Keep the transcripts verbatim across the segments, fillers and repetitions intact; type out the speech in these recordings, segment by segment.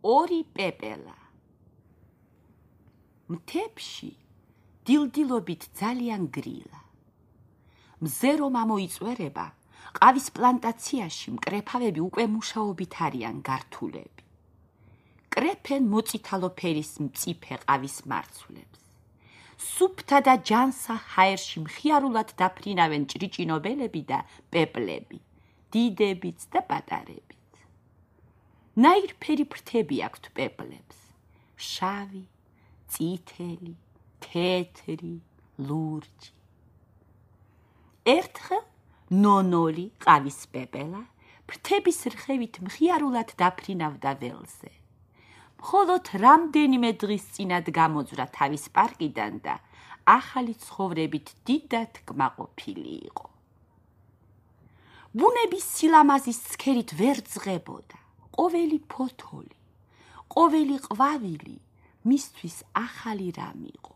ორი პეპელა. მთებში დილდილობით ძალიან გრილა. მზე რომ ამოიწვერება, ყავის პლანტაციაში მკრეფავები უკვე მუშაობით არიან გართულები. კრეფენ მოწითალო ფერის მწიფე ყავის მარცვლებს. სუფთა და ჯანსა ჰაერში მხიარულად დაფრინავენ ჭრიჭინობელები და პეპლები, დიდებიც და პატარებიც. ნაირფერი ფრთები აქვთ პეპლებს, შავი, წითელი, თეთრი, ლურჯი. ერთხელ ნონოლი ყავის პეპელა ფრთების რხევით მხიარულად დაფრინავდა ველზე. მხოლოდ რამდენიმე დღის წინად გამოძვრა თავის პარკიდან და ახალი ცხოვრებით დიდად კმაყოფილი იყო. ბუნების სილამაზის ცქერით ვერ ძღებოდა. ყოველი ფოთოლი, ყოველი ყვავილი მისთვის ახალი რამ იყო.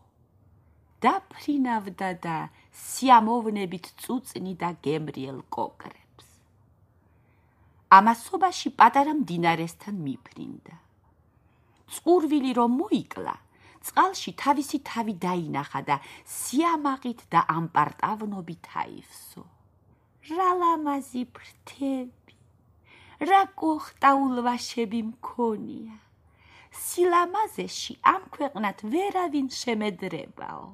დაფრინავდა და სიამოვნებით წუწნიდა გემრიელ კოკრებს. ამასობაში პატარა მდინარესთან მიფრინდა. წყურვილი რომ მოიკლა, წყალში თავისი თავი დაინახა და სიამაყით და ამპარტავნობით აივსო. რა ლამაზი ფრთები, რა კოხტაულვაშები მქონია. სილამაზეში ამ ქვეყნად ვერავინ შემედრებაო.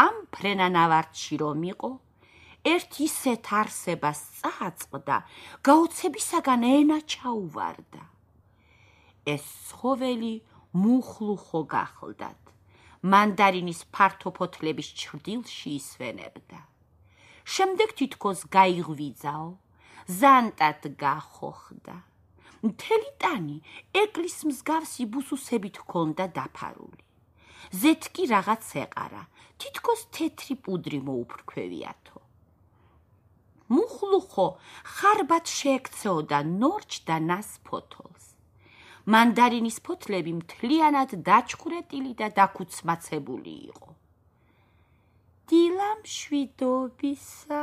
ამ ფრენანავარდში რომ იყო, ერთ ისეთ არსებას წააწყდა, გაოცებისაგან ენა ჩაუვარდა. ეს ცხოველი მუხლუხო გახლდათ, მანდარინის ფართო ფოთლების ჩრდილში ისვენებდა. შემდეგ თითქოს გაიღვიძაო, ზანტად გახოხდა. მთელი ტანი ეკლის მსგავსი ბუსუსებით ჰქონდა დაფარული. ზეთ კი რაღაც ეყარა, თითქოს თეთრი პუდრი მოუფრქვევიათო. მუხლუხო ხარბად შეექცეოდა ნორჩ და ნას ფოთოლს. მანდარინის ფოთლები მთლიანად დაჩქურეტილი და დაქუცმაცებული იყო. დილა მშვიდობისა,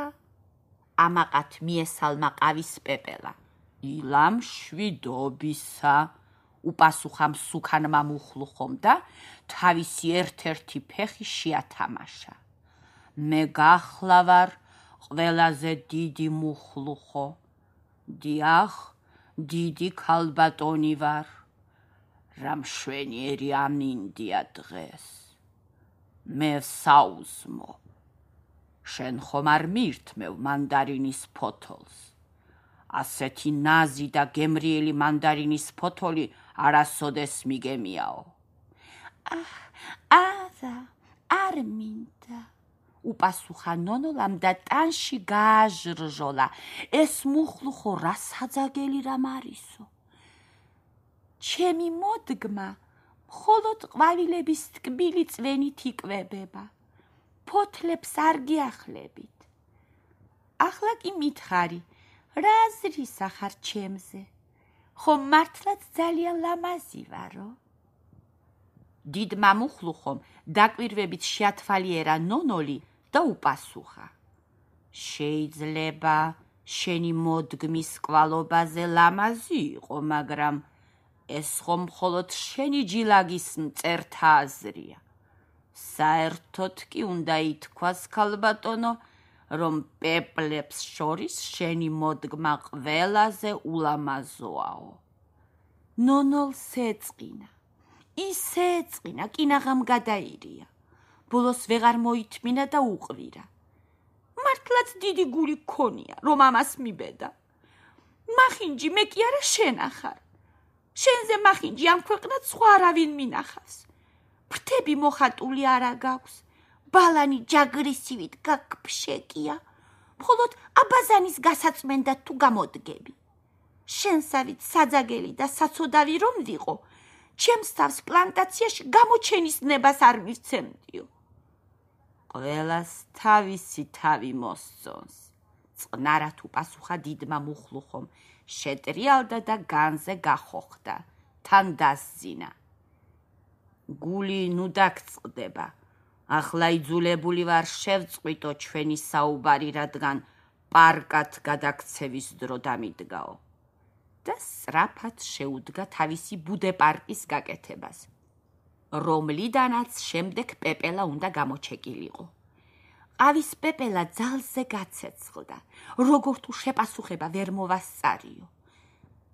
ამაყად მიესალმა ყავის პეპელა. დილა მშვიდობისა, უპასუხა მსუქანმა მუხლუხომ და თავისი ერთ-ერთი ფეხი შეათამაშა. მე გახლავარ ყველაზე დიდი მუხლუხო. დიახ, დიდი ქალბატონი ვარ. რა მშვენიერი ამინდია დღეს. მე საუზმო. შენ ხომ არ მირთმევ მანდარინის ფოთოლს. ასეთი ნაზი და გემრიელი მანდარინის ფოთოლი არასოდეს მიგემიაო. აჰ, არა, არ მინდა. უპასუხა ნონოლამ და ტანში გააჟრჟოლა. ეს მუხლუხო რა საძაგელი რამ არისო. ჩემი მოდგმა მხოლოდ ყვავილების ტკბილი წვენით იკვებება. ფოთლებს არ გიახლებით. ახლა კი მითხარი, რა აზრისა ხარ ჩემზე? ხომ მართლაც ძალიან ლამაზი ვარო? დიდმა მუხლუხომ დაკვირვებით შეათვალიერა ნონოლი და უპასუხა. შეიძლება შენი მოდგმის კვალობაზე ლამაზი იყო, მაგრამ ეს ხომ მხოლოდ შენი ჯილაგის მწერთა აზრია. საერთოდ კი უნდა ითქვას, ქალბატონო, რომ პეპლებს შორის შენი მოდგმა ყველაზე ულამაზოაო. ნონოლს ეწყინა. ისე ეწყინა, კინაღამ გადაირია. ბოლოს ვეღარ მოითმინა და უყვირა. მართლაც დიდი გული ქონია, რომ ამას მიბედა. მახინჯი, მე კი არა შენ ახარ. შენზე მახინჯი ამ ქვეყნად სხვა არავინ მინახავს. ფრთები მოხატული არა გაქვს. ბალანი ჯაგრისივით გაგფშეკია. მხოლოდ აბაზანის გასაწმენდად თუ გამოდგები. შენსავით საძაგელი და საცოდავი რომ ვიყო, ჩემს თავს პლანტაციაში გამოჩენის ნებას არ მივცემდიო. ყველას თავისი თავი მოსწონს. წყნარად უპასუხა დიდმა მუხლუხომ, შეტრიალდა და განზე გახოხდა, თან დასძინა. გული ნუ დაგწყდება. ახლა იძულებული ვარ შევწყვიტო ჩვენი საუბარი, რადგან პარკად გადაქცევის დრო დამიდგაო. და სწრაფად შეუდგა თავისი ბუდეპარკის გაკეთებას, რომლიდანაც შემდეგ პეპელა უნდა გამოჩეკილიყო. ყავის პეპელა ძალზე გაცეცხლდა, როგორ თუ შეპასუხება ვერ მოვასწარიო.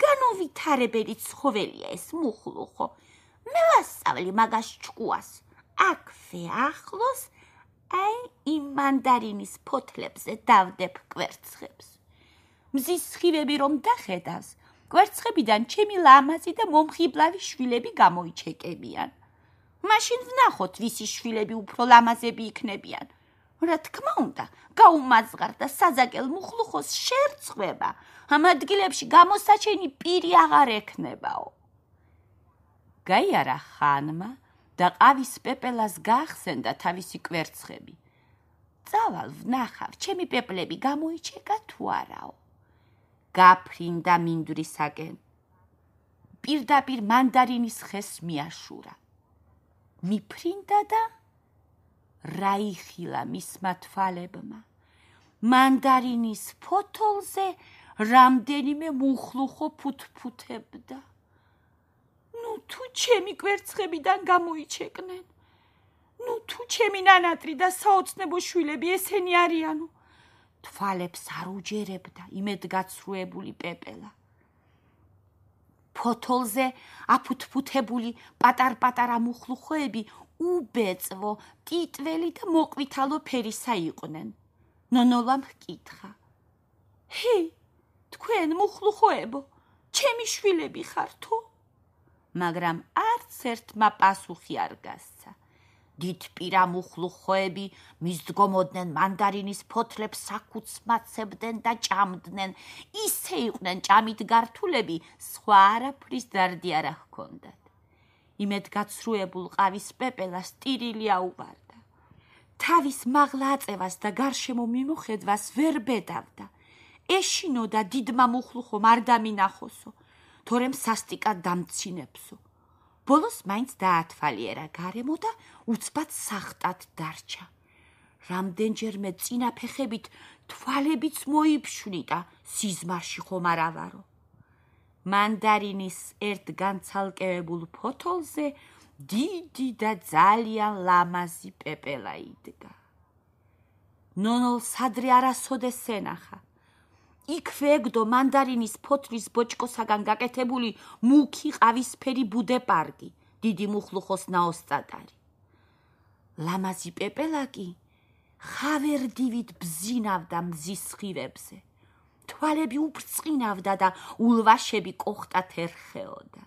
განუვითარებელი ცხოველია ეს მუხლუხო, მე ვასწავლი მაგას ჭკუას, აქვე ახლოს აი იმ მანდარინის ფოთლებზე დავდებ კვერცხებს. მზის სხივები რომ დახედავს, კვერცხებიდან ჩემი ლამაზი და მომხიბლავი შვილები გამოიჩეკებიან. მაშინ ვნახოთ, ვისი შვილები უფრო ლამაზები იქნებიან. რა თქმა უნდა, გაუმაზღარ და საზაკელ მუხლუხოს შერწყვება, ამ ადგილებში გამოსაჩენი პირი აღარ ექნებაო. გაიარა ხანმა და ყავის პეპელას გაახსენდა თავისი კვერცხები. წავალ ვნახავ, ჩემი პეპლები გამოიჩეკა თუ არაო. გაფრინდა მინდვრისაკენ. პირდაპირ მანდარინის ხეს მიაშურა. მიფრინდა და რა იხილა მისმა თვალებმა. მანდარინის ფოთოლზე რამდენიმე მუხლუხო ფუთფუთებდა. ნუ თუ ჩემი კვერცხებიდან გამოიჩეკნენ, ნუ თუ ჩემი ნანატრი და საოცნებო შვილები ესენი არიანო. თვალებს არ უჯერებდა იმედგაცრუებული პეპელა. ფოთოლზე აფუთფუთებული პატარ-პატარა მუხლუხოები უბეწვო, ტიტველი და მოყვითალო ფერისა იყვნენ. ნონოლამ ჰკითხა: ჰე, თქვენ მუხლუხოებო, ჩემი შვილები ხართო? მაგრამ არც ერთმა პასუხი არ გასცა. დიდპირა მუხლუხოები მისდგომოდნენ მანდარინის ფოთლებს საკუცმაცებდნენ და ჭამდნენ, ისე იყვნენ ჭამით გართულები, სხვა არაფრის დარდი არ ჰქონდათ. იმედგაცრუებულ ყავის პეპელას ტირილი აუვარდა. თავის მაღლა აწევას და გარშემო მიმოხედვას ვერ ბედავდა. ეშინოდა დიდმა მუხლუხომ არ დამინახოსო, თორემ სასტიკად დამცინებსო. ბოლოს მაინც დაათვალიერა გარემო და უცბად სახტად დარჩა. რამდენჯერმე წინა ფეხებით თვალებიც მოიფშვნიდა, სიზმარში ხომ არ ავარო. მანდარინის ერთ განცალკევებულ ფოთოლზე დიდი და ძალიან ლამაზი პეპელა იდგა. ნონოლს ადრე არასოდეს ენახა. იქვე ეგდო მანდარინის ფოთლის ბოჭკოსაგან გაკეთებული მუქი ყავისფერი ბუდეპარკი, დიდი მუხლუხოს ნაოსტატარი. ლამაზი პეპელა კი ხავერდივით ბზინავდა მზის სხივებზე. თვალები უბრწყინავდა და ულვაშები კოხტად ერხეოდა.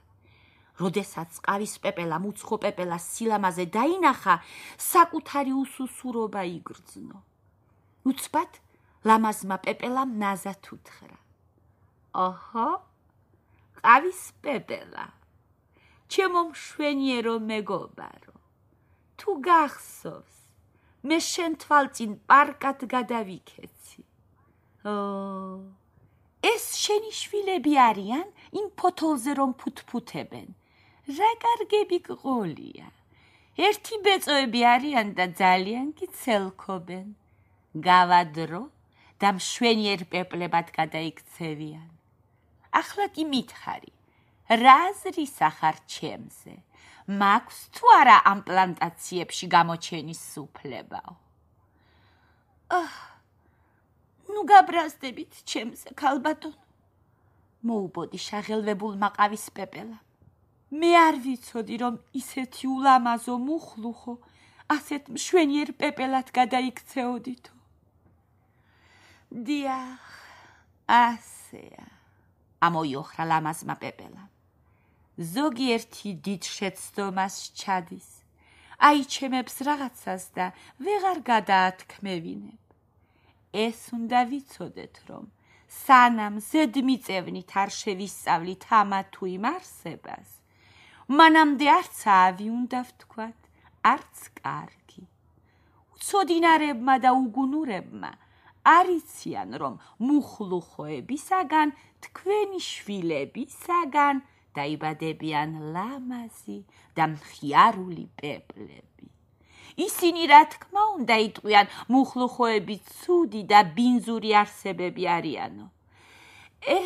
როდესაც ყავის პეპელამ უცხო პეპელას სილამაზე დაინახა, საკუთარი უსუსურობა იგრძნო. უცბად ლამაზმა პეპელამ ნაზად უთხრა: ოჰო, ყავის პეპელა, ჩემო მშვენიერო მეგობარო, თუ გახსოვს, მე შენ თვალწინ პარკად გადავიქეცი. ო, ეს შენი შვილები არიან იმ ფოთოლზე რომ ფუთფუთებენ. რა კარგები გყოლია. ერთი ბეწოები არიან და ძალიან კი ცელქობენ. გავადრო და მშვენიერ პეპლებად გადაიქცევიან. ახლა კი მითხარი, რა აზრის ახარ ჩემზე? მაქვს თუ არა ამ პლანტაციებში გამოჩენის უფლებაო? აჰ, ნუ გაბრაზდებით ჩემზე, ქალბატონო, მოუბოდი შაღელვებულმა ყავის პეპელამ. მე არ ვიცოდი, რომ ისეთი ულამაზო მუხლუხო ასეთ მშვენიერ პეპელად გადაიქცეოდითო. დიახ, ასეა, ამოიოხრა ლამაზმა პეპელამ. ზოგიერთი დიდ შეცდომას ჩადის, აიჩემებს რაღაცას და ვეღარ გადაათქმევინებ. ეს უნდა ვიცოდეთ, რომ სანამ ზედმიწევნით არ შევისწავლით ამა თუ იმ არსებას, მანამდე არც ავი უნდა ვთქვათ, არც კარგი. უცოდინარებმა და უგუნურებმა არიციან, რომ მუხლუხოებისაგან, თქვენი შვილებისაგან დაიბადებიან ლამაზი და მხიარული პეპლები. ისინი რა თქმა უნდა იტყვიან, მუხლუხოები ცუდი და ბინძური არსებები არიანო. ე,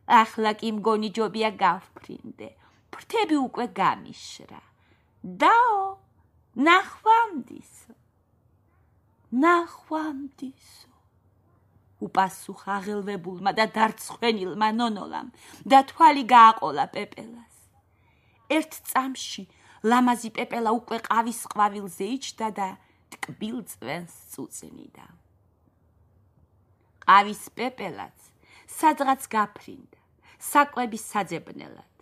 ახლა კი მგონი ჯობია გავფრინდე, ფრთები უკვე გამიშრა. დაო, ნახვამდისო, ნახვამდისო. უპასუხა აღელვებულმა და დარცხვენილმა ნონოლამ და თვალი გააყოლა პეპელას. ერთ წამში ლამაზი პეპელა უკვე ყავის ყვავილზე იჯდა და ტკბილ წვენს წუწნიდა. ყავის პეპელაც სადღაც გაფრინდა, საკვების საძებნელად.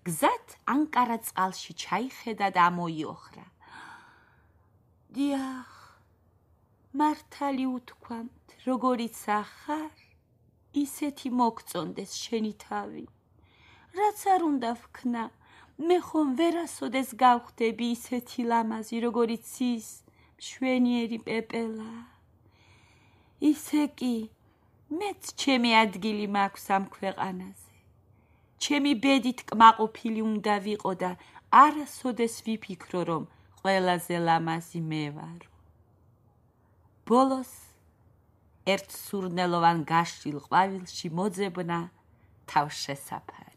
გზად ანკარა წყალში ჩაიხედა და ამოიოხრა. დიახ, მართალი უთქვამთ, როგორიც ახარ, ისეთი მოგწონდეს შენი თავი. რაც არ უნდა ვქნა, მე ხომ ვერასოდეს გავხდები ისეთი ლამაზი, როგორიც ის მშვენიერი პეპელა. ისე კი, მეც ჩემი ადგილი მაქვს ამ ქვეყანაზე. ჩემი ბედით კმაყოფილი უნდა ვიყო და არასოდეს ვიფიქრო, რომ ყველაზე ლამაზი მე ვარო. ბოლოს ერთ სურნელოვან გაშლილ ყვავილში მოძებნა თავშესაფარი.